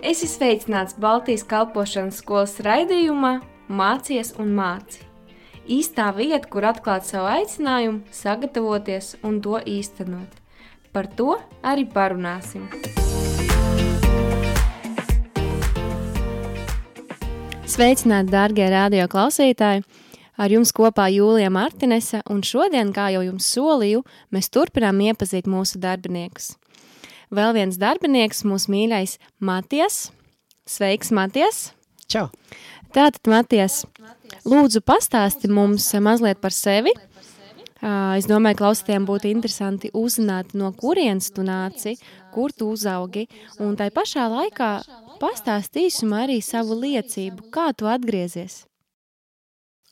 Esi sveicināts Baltijas kalpošanas skolas raidījumā Mācies un māci. Īstā vieta, kur atklāt savu aicinājumu, sagatavoties un to īstenot. Par to arī parunāsim. Sveicināti, dārgie radio klausītāji! Ar jums kopā Jūlija Martinese, un šodien, kā jau jums solīju, mēs turpinām iepazīt mūsu darbiniekus. Vēl viens darbinieks, mūsu mīļais Matijas. Sveiks, Matijas! Čau! Tātad, Matijas, lūdzu pastāsti mums mazliet par sevi. Es domāju, klausītājiem būtu interesanti uzzināt, no kurienes tu nāci, kur tu uzaugi, un tai pašā laikā pastāsti īsumā arī savu liecību, kā tu atgriezies.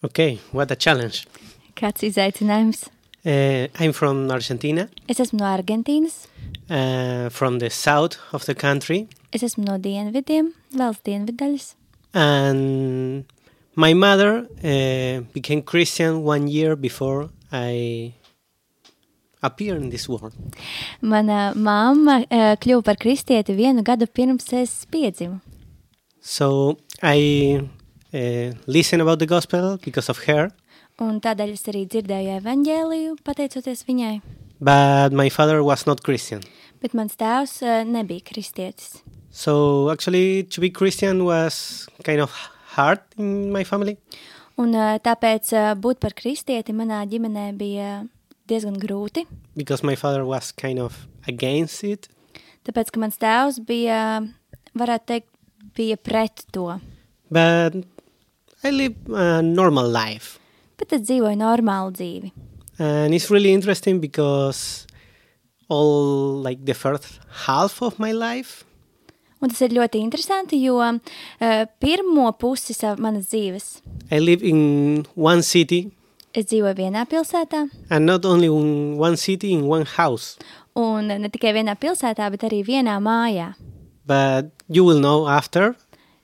Okay, what a challenge. Kāds izaicinājums? I'm from Argentina. Es esmu no Argentīnas. From the south of the country. Es esmu no dienvidiem, valsts dienvidaļas. And my mother became Christian 1 year before I appeared in this world. Mana mamma kļuva par kristieti 1 gadu pirms es piedzimu. So I listened about the gospel because of her. Un tādēļ es arī dzirdēju evaņģēliju, pateicoties viņai. But my father was not Christian. Bet mans tēvs nebija kristietis. So actually to be Christian was kind of hard in my family. Un tāpēc būt par kristieti manā ģimenē bija diezgan grūti. Because my father was kind of against it. Tāpēc, ka mans tēvs bija, varētu teikt, bija pret to. But I live a normal life. Bet es dzīvoju normālu dzīvi. And it's really interesting because all like the first half of my life. Un tas ir ļoti interesanti, jo pirmo pusi manas dzīves I live in one city. es dzīvoju vienā pilsētā. And not only in one city, in one house. Un ne tikai vienā pilsētā, bet arī vienā mājā. But you will know after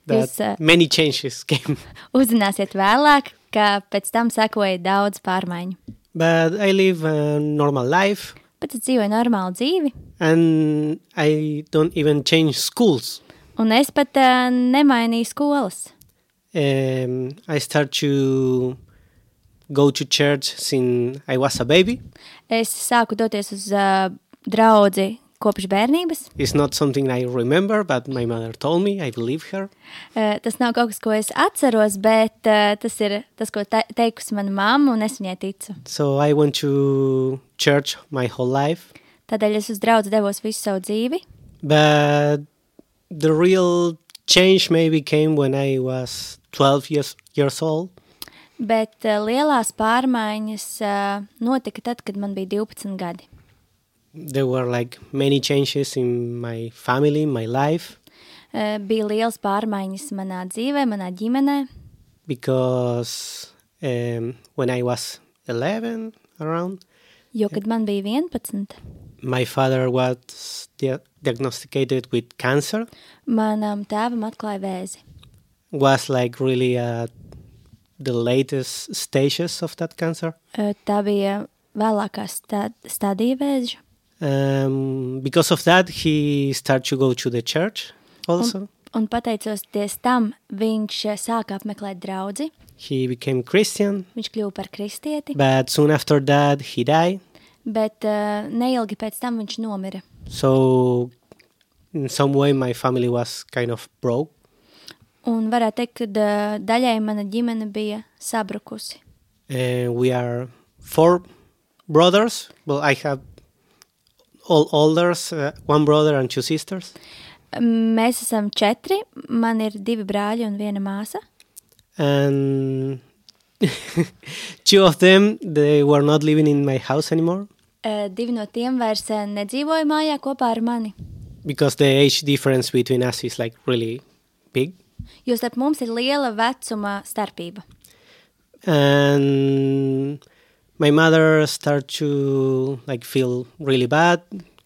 that many changes came. Uzzināsiet vēlāk, ka pēc tam sekoja daudz pārmaiņu. But I live a normal life. Bet es dzīvoju normālu dzīvi. And I don't even change schools. Un es pat nemainīju skolas. I start to go to church since I was a baby. Es sāku doties uz draudzi kopš bērnības. It's not something I remember, but my mother told me, I believe her. Tas nav kaut kas, ko es atceros, bet tas ir tas, ko teikusi mana mamma, un es viņai ticu. So I went to church my whole life. Tādēļ es uz draudzi devos visu savu dzīvi. But the real change maybe came when I was 12 years old. Bet lielās pārmaiņas notika tad, kad man bija 12 gadi. There were like many changes in my family, my life. Bija liels pārmaiņas manā dzīvē, manā ģimenē. Because when I was 11 around. Jo, kad man bija 11. My father was diagnosticated with cancer. Manam tēvam atklāja vēzi. Was like really the latest stages of that cancer. Tā bija vēlākā stadija vēža. Because of that, he started to go to the church also. Un pateicoties tam, viņš sāka apmeklēt draudzi. He became Christian. Viņš kļuva par kristieti. But soon after that, he died. Bet neilgi pēc tam viņš nomira. So, in some way, my family was kind of broke. Un varētu teikt, ka daļai mana ģimene bija sabrukusi. We are 4 brothers. Well, I have all elders, 1 brother and 2 sisters. Mēs esam 4. Man ir 2 brāļi un 1 māsa. And 2 of them, they were not living in my house anymore. 2 no tiem vairs nedzīvoja mājā kopā ar mani. Because the age difference between us is like really big. Jo starp mums ir liela vecuma starpība. And my mother started to like feel really bad,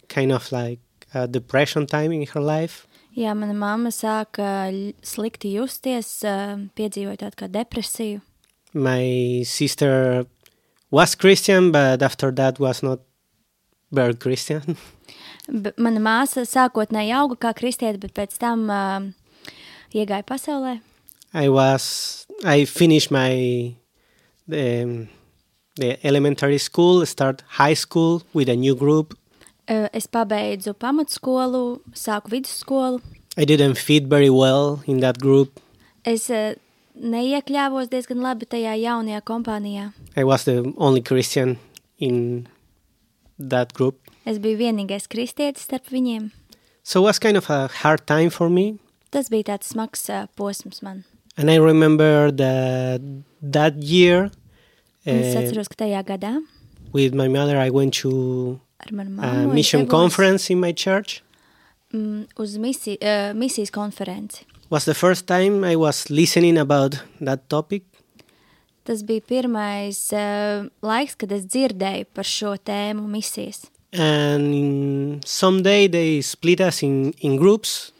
kind of like a depression time in her life. Jā, mana mamma sāka slikti justies, piedzīvoja tādu kā depresiju. My sister was Christian, but after that was not very Christian. Mana māsa sākotnēji auga kā kristiete, bet pēc tam iegāja pasaulē. I finished the elementary school, start high school with a new group. Es pabeidzu pamatskolu, sāku vidusskolu. I didn't fit very well in that group. Es neiekļāvos diezgan labi tajā jaunajā kompānijā. I was the only Christian in that group. Es biju vienīgais kristietis starp viņiem. So it was kind of a hard time for me. Tas bija tāds smags posms man. And I remember that year, Es atceros, ka tajā gadā with my mother, I went to ar manu a mammu mission conference in my church. Uz misijas konferenci. Was the first time I was listening about that topic. Tas bija pirmais laiks, kad es dzirdēju par šo tēmu misijas. And someday they split us in groups.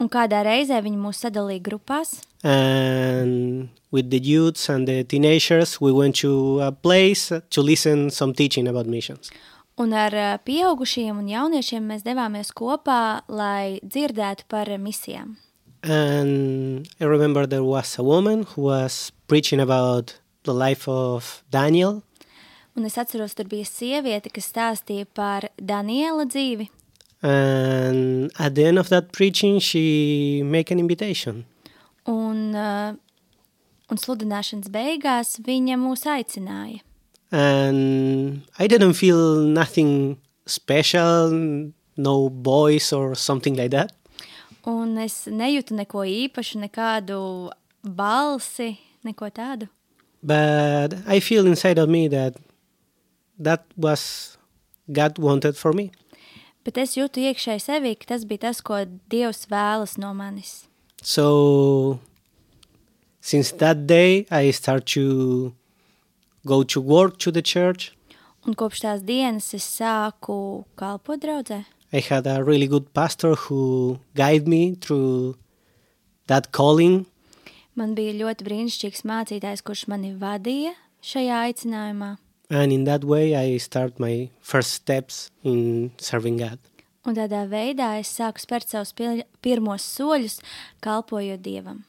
Un kādā reizē viņi mūs sadalīja grupās. And with the youths and the teenagers, we went to a place to listen some teaching about missions. Un ar pieaugušiem un jauniešiem mēs devāmies kopā, lai dzirdētu par misijām. And I remember there was a woman who was preaching about the life of Daniel. Un es atceros, tur bija sieviete, kas stāstīja par Daniela dzīvi. And at the end of that preaching, she made an invitation. Un sludināšanas beigās viņa mūs aicināja. And I didn't feel nothing special, no voice or something like that. Un es nejūtu neko īpašu, nekādu balsi, neko tādu. But I feel inside of me that was God wanted for me. Bet es jūtu iekšēji sevī, ka tas bija tas, ko Dievs vēlas no manis. So since that day, I start to go to work to the church. Un kopš tās dienas es sāku kalpot draudzē. I had a really good pastor who guided me through that calling. Man bija ļoti brīnišķīgs mācītājs, kurš mani vadīja šajā aicinājumā. And in that way, I start my first steps in serving God. Un tādā veidā es sāku spērt savus pirmos soļus, kalpojot Dievam.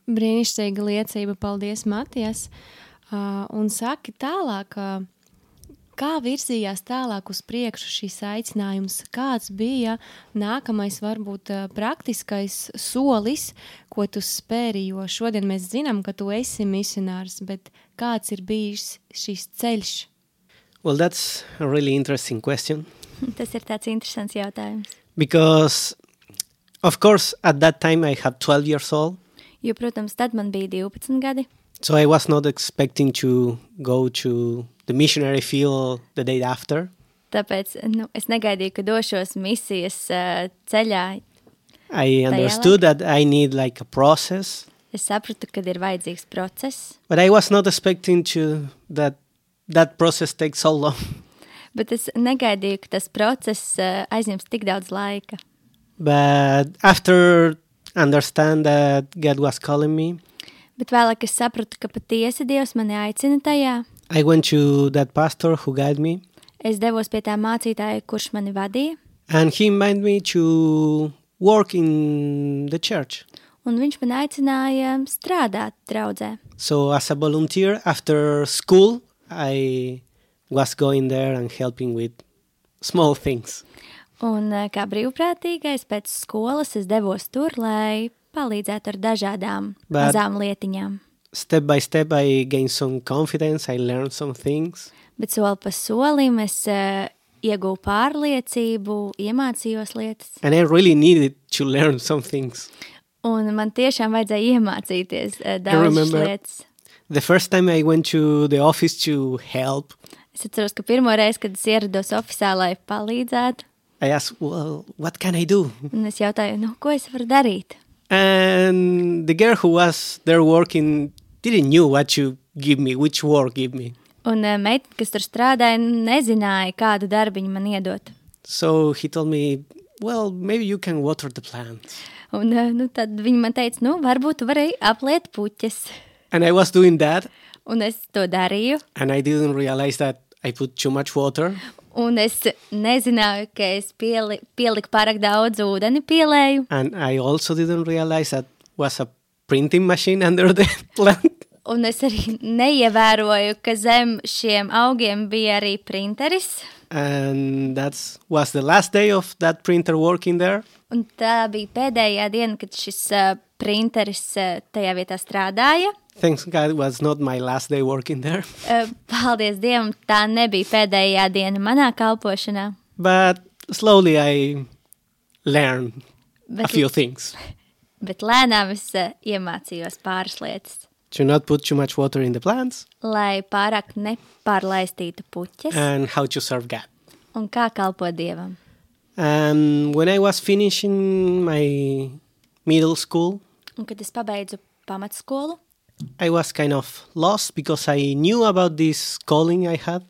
Brīnišķīga liecība, paldies, Matijas. Un saki tālāk, kā virzījās tālāk uz priekšu šīs aicinājums? Kāds bija nākamais, varbūt praktiskais solis, ko tu spēri? Jo šodien mēs zinām, ka tu esi misionārs, bet kāds ir bijis šis ceļš? Well, that's a really interesting question. Tas ir tāds interesants jautājums. Because, of course, at that time I had 12 years old. Jo, protams, tad man bija 12 gadi. So I was not expecting to go to the missionary field the day after. Tāpēc es negaidīju, ka došos misijas ceļā. I understood that I need like a process. Es sapratu, ka ir vajadzīgs process. But I was not expecting to that process takes so long. Bet es negaidīju, ka tas process aizņems tik daudz laika. But after understand that God was calling me, bet vēlāk es sapratu, ka patiesi Dievs mani aicina tajā. I went to that pastor who guided me. Es devos pie tā mācītāja, kurš mani vadīja. And he invited me to work in the church. Un viņš man aicināja strādāt draudzē. So as a volunteer after school, I was going there and helping with small things. Un kā brīvprātīgais pēc skolas es devos tur, lai palīdzētu ar dažādām mazām lietiņām. Step by step I gained some confidence, I learned some things. Bet soli pa solim es ieguvu pārliecību, iemācījos lietas. And I really needed to learn some things. Un man tiešām vajadzēja iemācīties daudzas lietas. The first time I went to the office to help, es atceros, ka pirmo reizi, kad es ierados ofisā, lai palīdzētu, I asked, well, what can I do? Un es jautāju, ko es varu darīt? And the girl who was there working didn't know what to give me, which work give me. Un meitene, kas tur strādāja, nezināja, kādu darbiņu man iedot. So he told me, well, maybe you can water the plants. Un tad viņa man teica, varbūt tu vari apliet puķes. And I was doing that. Un es to darīju. And I didn't realize that I put too much water. Un es nezināju, ka es pieliku pārāk daudz ūdeni pielēju. And I also didn't realize that was a printing machine under the plant. Un es arī neievēroju, ka zem šiem augiem bija arī printeris. And that was the last day of that printer working there. Un tā bija pēdējā diena, kad šis printeris tajā vietā strādāja. Thanks God it was not my last day working there. Paldies Dievam, tā nebija pēdējā diena manā kalpošanā. But slowly I learned a few things. Bet lēnām es iemācījos pāris lietas. To not put too much water in the plants. Lai pārāk nepārlaistītu puķes. And how to serve God. Un kā kalpot Dievam. And when I was finishing my middle school. Un kad es pabeidzu pamatskolu. I was kind of lost because I knew about this calling I had.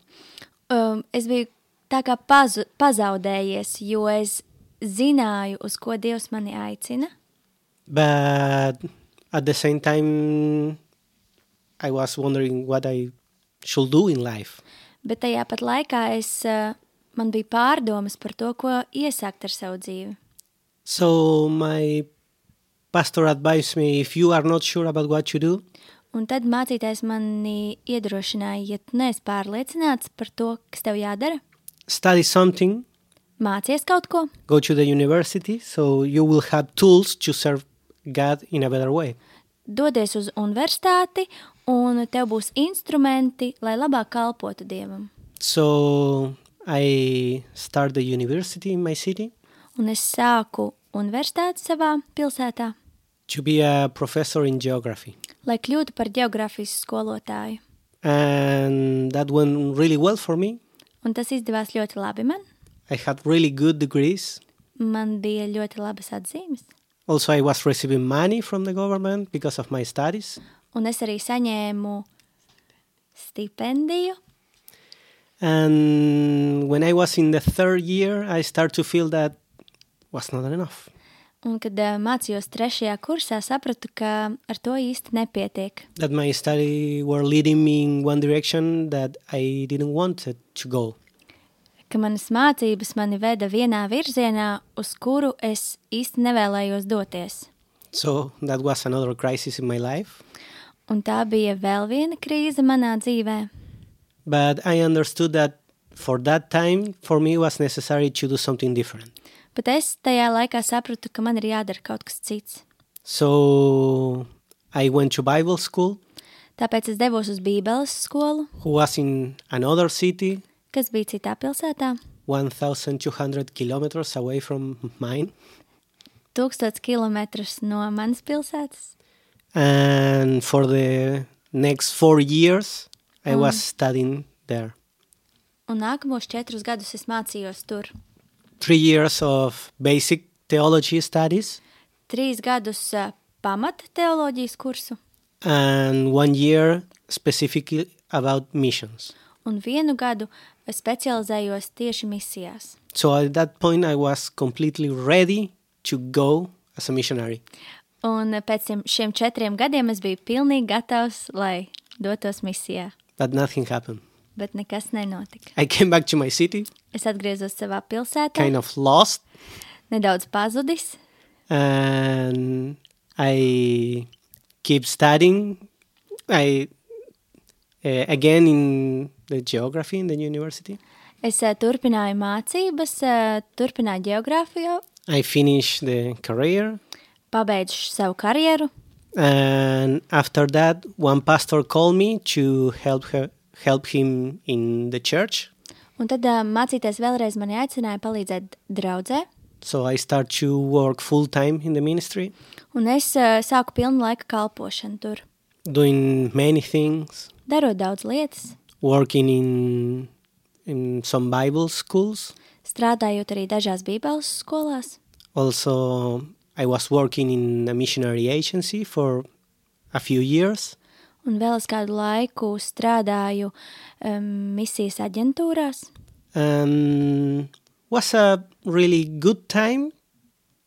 Es biju tā kā pazaudējies, jo es zināju, uz ko Dievs mani aicina. But at the same time, I was wondering what I should do in life. Bet tajā pat laikā man bija pārdomas par to, ko iesākt ar savu dzīvi. So my pastor advised me, if you are not sure about what you do, un tad mācītājs mani iedrošināja, ja tu neesi pārliecināts par to, kas tev jādara. Study something. Mācies kaut ko. Go to the university, so you will have tools to serve God in a better way. Dodies uz universitāti, un tev būs instrumenti, lai labāk kalpotu Dievam. So I started the university in my city. Un es sāku universitāti savā pilsētā. To be a professor in geography. Lai kļūtu par geogrāfijas skolotāju. And that went really well for me. Un tas izdevās ļoti labi man. I had really good degrees. Man bija ļoti labas atzīmes. Also, I was receiving money from the government because of my studies. Un es arī saņēmu stipendiju. And when I was in the third year, I started to feel that was not enough. Un kad mācījos 3. kursā, sapratu, ka ar to īsti nepietiek. That my studies were leading me in one direction that I didn't want it to go. Ka manas mācības mani veda vienā virzienā, uz kuru es īsti nevēlējos doties. So that was another crisis in my life. Un tā bija vēl viena krīze manā dzīvē. But I understood that for that time, for me, it was necessary to do something different. Bet es tajā laikā sapratu, ka man ir jādara kaut kas cits. So I went to Bible school. Tāpēc es devos uz Bībeles skolu. Who was in another city. Kas bija citā pilsētā. 1,200 kilometers away from mine. 1000 kilometrus no manas pilsētas. And for the next 4 years, I was studying there. Un nākamos 4 gadus es mācījos tur. 3 years of basic theology studies. 3 gadus pamata teoloģijas kursu. And 1 year specifically about missions. Un 1 gadu specializējos tieši misijās. So at that point I was completely ready to go as a missionary. Un pēc šiem 4 gadiem es biju pilnīgi gatavs, lai dotos misijā. But nothing happened. Bet nekas nenotika. I came back to my city. Es atgriezos savā pilsētā. Kind of lost. Nedaudz pazudis. And I keep studying. Again in the geography in the university. Es turpināju mācības, turpināju geogrāfiju. I finished the career. Pabeidzu savu karjeru. And after that, one pastor called me to help him in the church. Un tad mācītājs vēlreiz mani aicināja palīdzēt draudzē. So I start to work full time in the ministry. Un es sāku pilnu laika kalpošanu tur. Doing many things. Darot daudz lietas. Working in some Bible schools. Strādājot arī dažās Bībeles skolās. Also, I was working in a missionary agency for a few years. Un vēl es kādu laiku strādāju misijas aģentūrās. Was a really good time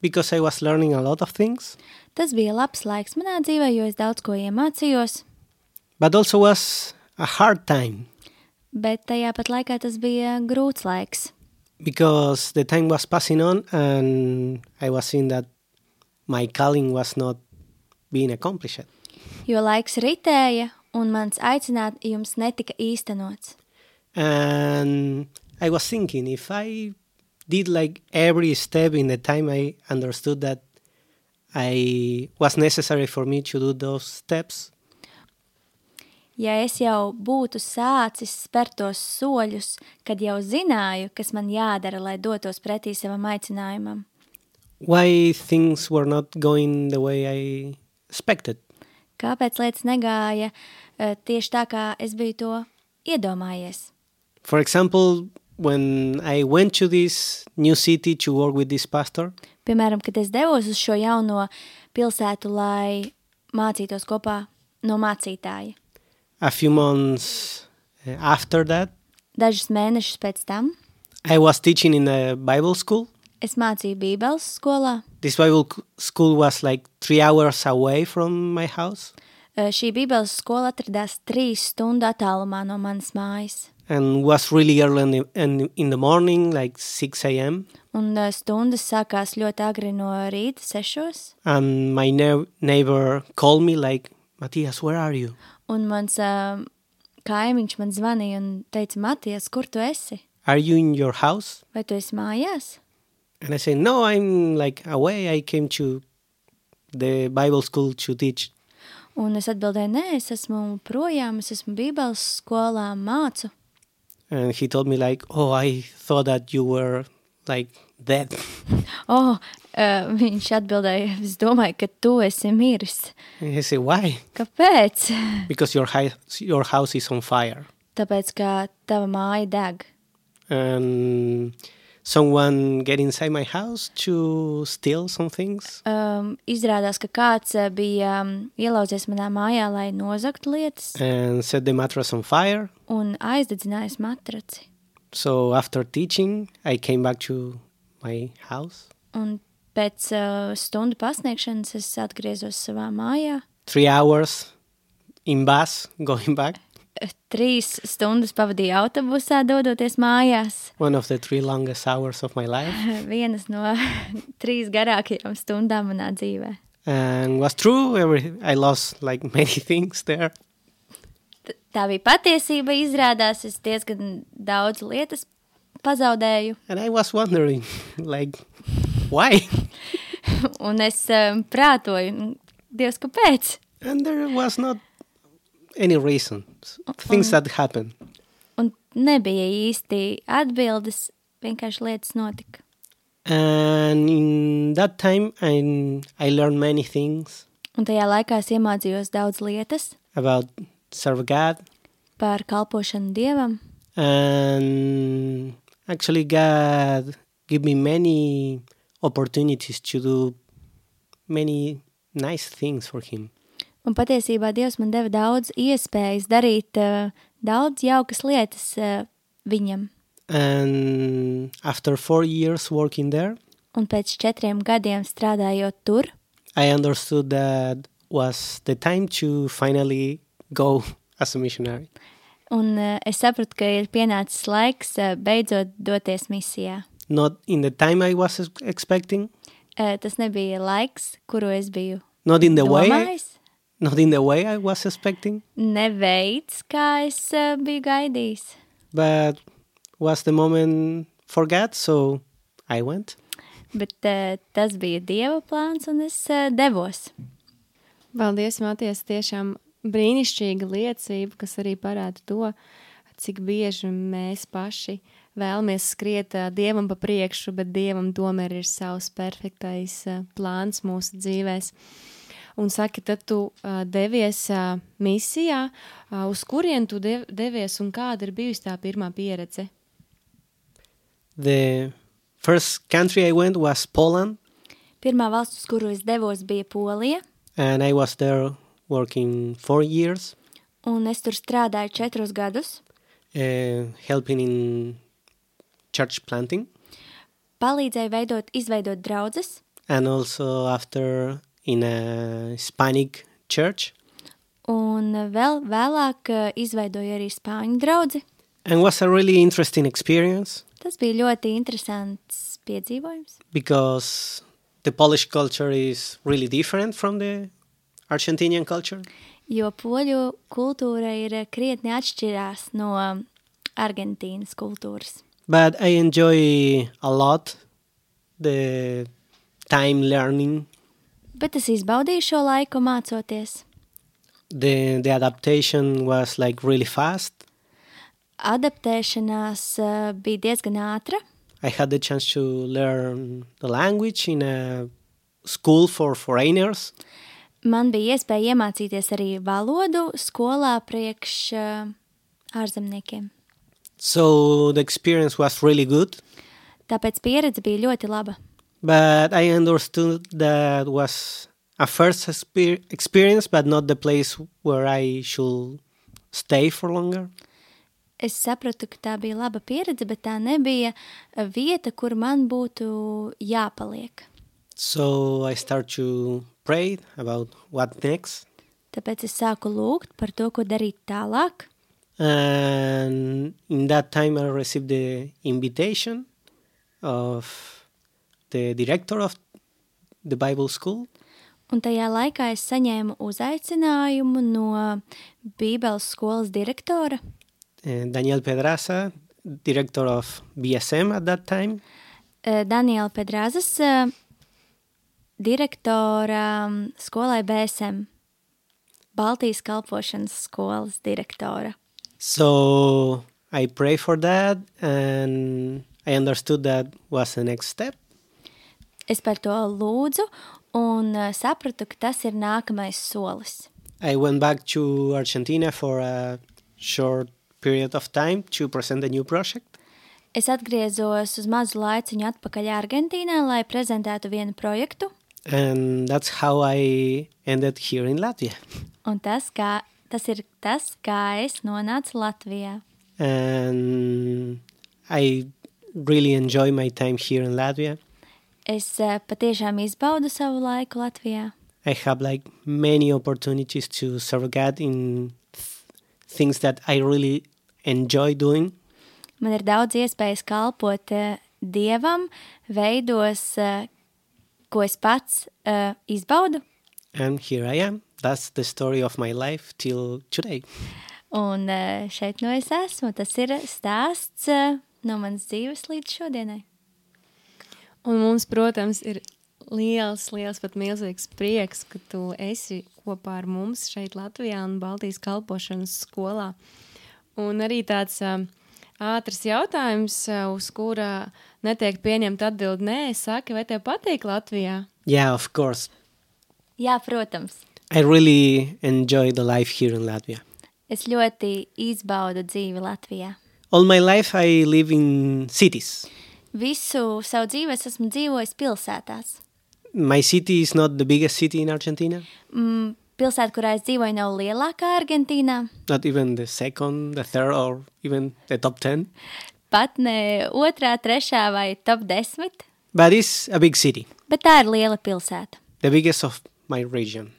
because I was learning a lot of things. Tas bija labs laiks manā dzīvē, jo es daudz ko iemācījos. But also was a hard time. Bet tajā pat laikā tas bija grūts laiks, because the time was passing on and I was seeing that my calling was not being accomplished. jo laiks ritēja un mans aicinājums netika īstenots. And I was thinking, if I did like every step in the time I understood that I was necessary for me to do those steps, Ja es jau būtu sācis spērt tos soļus, kad jau zināju, kas man jādara, lai dotos pretī savam aicinājumam, why things were not going the way I expected? kāpēc lietas negāja tieši tā, kā es biju to iedomājies? For example, when I went to this new city to work with this pastor, Piemēram, kad es devos uz šo jauno pilsētu, lai mācītos kopā no mācītāja. a few months after that, Dažus mēnešus pēc tam I was teaching in a Bible school. es mācīju Bībeles skolā. This Bible school was like 3 hours away from my house. Šī Bībeles skola atradās 3 stundu attālumā no manas mājas. And was really early in the morning, like 6 a.m. Un stundas sākās ļoti agri no rīta 6. And my neighbor called me like, Matthias, where are you? Un mans kaimiņš man zvanīja un teica, Matijas, kur tu esi? Are you in your house? Vai tu esi mājās? And I said, no, I'm like away. I came to the Bible school to teach. Un es atbildēju, nē, es esmu projām, es esmu Bībeles skolā, mācu. And he told me like, oh, I thought that you were like dead. Viņš atbildēja, es domāju, ka tu esi miris. And I said, why? Kāpēc? Because your house is on fire. Tāpēc, ka tava māja deg. And someone get inside my house to steal some things. Izrādās, ka kāds bija ielauzies manā mājā, lai nozagtu lietas And set the mattress on fire. un aizdedzinājis matraci. So after teaching, I came back to my house. Un pēc stundu pasniegšanas es atgriezos savā mājā. 3 hours in bus going back. 3 stundas pavadīju autobusā, dodoties mājās. One of the 3 longest hours of my life. Vienas no 3 garākajām stundām manā dzīvē. And was true. I lost like many things there. Tā bija patiesība, izrādās, es diezgan daudz lietas pazaudēju. And I was wondering, like, why? Un es prātoju, Dievs, kāpēc? And there was not any reason. Things that happened. Un nebija īsti atbildes, vienkārši lietas notika. And in that time, I learned many things Un tajā laikā es iemācījos daudz lietas about serve God. par kalpošanu Dievam. And actually, God gave me many opportunities to do many nice things for Him. Un patiesībā Dievs man deva daudz iespējas darīt daudz jaukas lietas viņam. And after 4 years working there, Un pēc 4 gadiem strādājot tur, I understood that was the time to finally go as a missionary. un es sapratu, ka ir pienācis laiks beidzot doties misijā. Not in the time I was expecting, Tas nebija laiks, kuru es biju not in the way domājis, I was expecting, ne veids, kā es biju gaidījis. but was the moment for God, so I went. Bet tas bija Dieva plāns, un es devos. Paldies, Matijas, tiešām brīnišķīga liecība, kas arī parāda to, cik bieži mēs paši vēlamies skriet Dievam pa priekšu, bet Dievam tomēr ir savs perfektais plāns mūsu dzīvēs. Un saki, tad tu devies misijā, uz kurien tu devies un kāda ir bijusi tā pirmā pieredze? The first country I went was Poland, Pirmā valsts, uz kuru es devos, bija Polija, and I was there working 4 years, un es tur strādāju 4 gadus, helping in church planting, palīdzēju izveidot draudzes, and also after in a Hispanic church. un vēl vēlāk izveidoju arī spāņu draudzi. And was a really interesting experience Tas bija ļoti interesants piedzīvojums, because the Polish culture is really different from the Argentinian culture. jo poļu kultūra ir krietni atšķirās no Argentīnas kultūras. But I enjoy a lot the time learning, Bet es izbaudīju šo laiku mācoties. the adaptation was like really fast. Adaptēšanās bija diezgan ātra. I had the chance to learn the language in a school for foreigners. Man bija iespēja iemācīties arī valodu skolā priekš ārzemniekiem. So the experience was really good, Tāpēc pieredze bija ļoti laba. but I understood that was a first experience, but not the place where I should stay for longer. Es sapratu, ka tā bija laba pieredze, bet tā nebija vieta, kur man būtu jāpaliek. So I start to pray about what next. Tāpēc es sāku lūgt par to, ko darīt tālāk. And in that time I received the invitation of the director of the Bible school. Un tajā laikā es saņēmu uzaicinājumu no Bībeles skolas direktora, Daniel Pedraza, director of BSM at that time. Daniela Pedrazas, direktora skolai BSM, Baltijas kalpošanas skolas direktora. So I pray for that, and I understood that was the next step. Es par to lūdzu un sapratu, ka tas ir nākamais solis. I went back to Argentina for a short period of time to present a new project. Es atgriezos uz mazu laiciņu atpakaļ Argentīnā, lai prezentētu vienu projektu, And that's how I ended here in Latvia. un tas ir tas, kā es nonācu Latvijā. And I really enjoy my time here in Latvia. Es patiešām izbaudu savu laiku Latvijā. I have like many opportunities to serve God in things that I really enjoy doing. Man ir daudz iespējas kalpot Dievam veidos, ko es pats izbaudu, And here I am. That's the story of my life till today. un šeit no es esmu. Tas ir stāsts no manas dzīves līdz šodienai. Un mums, protams, ir liels, pat milzīgs prieks, ka tu esi kopā ar mums šeit Latvijā un Baltijas kalpošanas skolā. Un arī tāds ātrs jautājums, uz kura netiek pieņemta atbildi nē, saki, vai tev patīk Latvijā? Yeah, of course. Jā, protams. I really enjoy the life here in Latvia. Es ļoti izbaudu dzīvi Latvijā. All my life I live in cities. Visu savu dzīvi es esmu dzīvojis pilsētās. My city is not the biggest city in Argentina, Pilsēta, kurā es dzīvoju, nav lielākā Argentīnā, not even the second, the third, or even the top 10. pat ne otrā, trešā vai top 10, But it's a big city, bet tā ir liela pilsēta. the biggest of my region.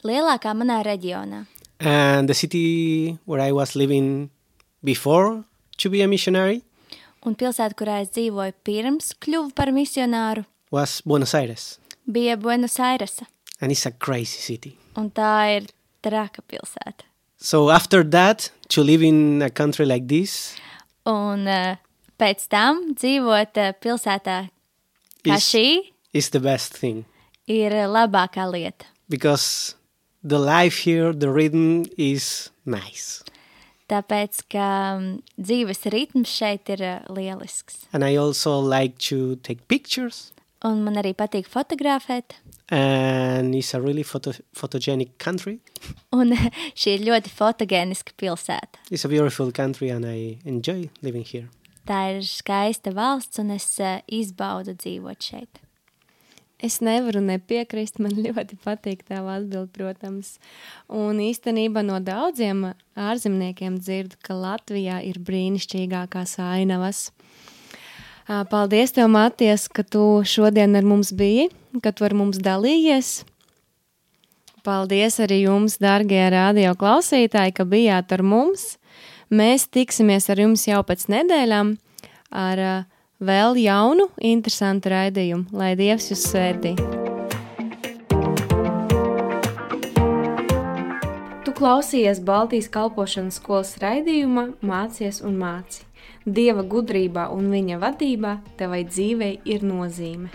Lielākā manā reģionā. And the city where I was living before to be a missionary Un pilsēta, kurā es dzīvoju pirms kļuvu par misionāru, was Buenos Aires. bija Buenos Airesa. And it's a crazy city. Un tā ir traka pilsēta. So after that, to live in a country like this Un pēc tam dzīvot pilsētā kā is, šī is the best thing. ir labākā lieta. Because the life here, the rhythm is nice. Tāpēc, ka dzīves ritms šeit ir lielisks. And I also like to take pictures. Un man arī patīk fotografēt. And it's a really photogenic country. Un šī ir ļoti fotogēniska pilsēta. It's a beautiful country and I enjoy living here. Tā ir skaista valsts un es izbaudu dzīvot šeit. Es nevaru nepiekrist, man ļoti patīk tava atbild, protams. Un īstenībā no daudziem ārzemniekiem dzirdu, ka Latvijā ir brīnišķīgākās ainavas. Paldies tev, Maties, ka tu šodien ar mums biji, ka tu ar mums dalījies. Paldies arī jums, dargie radio klausītāji, ka bijāt ar mums. Mēs tiksimies ar jums jau pēc nedēļām ar vēl jaunu, interesantu raidījumu. Lai Dievs jūs svētī! Tu klausījies Baltijas kalpošanas skolas raidījuma Mācies un māci. Dieva gudrībā un viņa vadībā tevai dzīvei ir nozīme.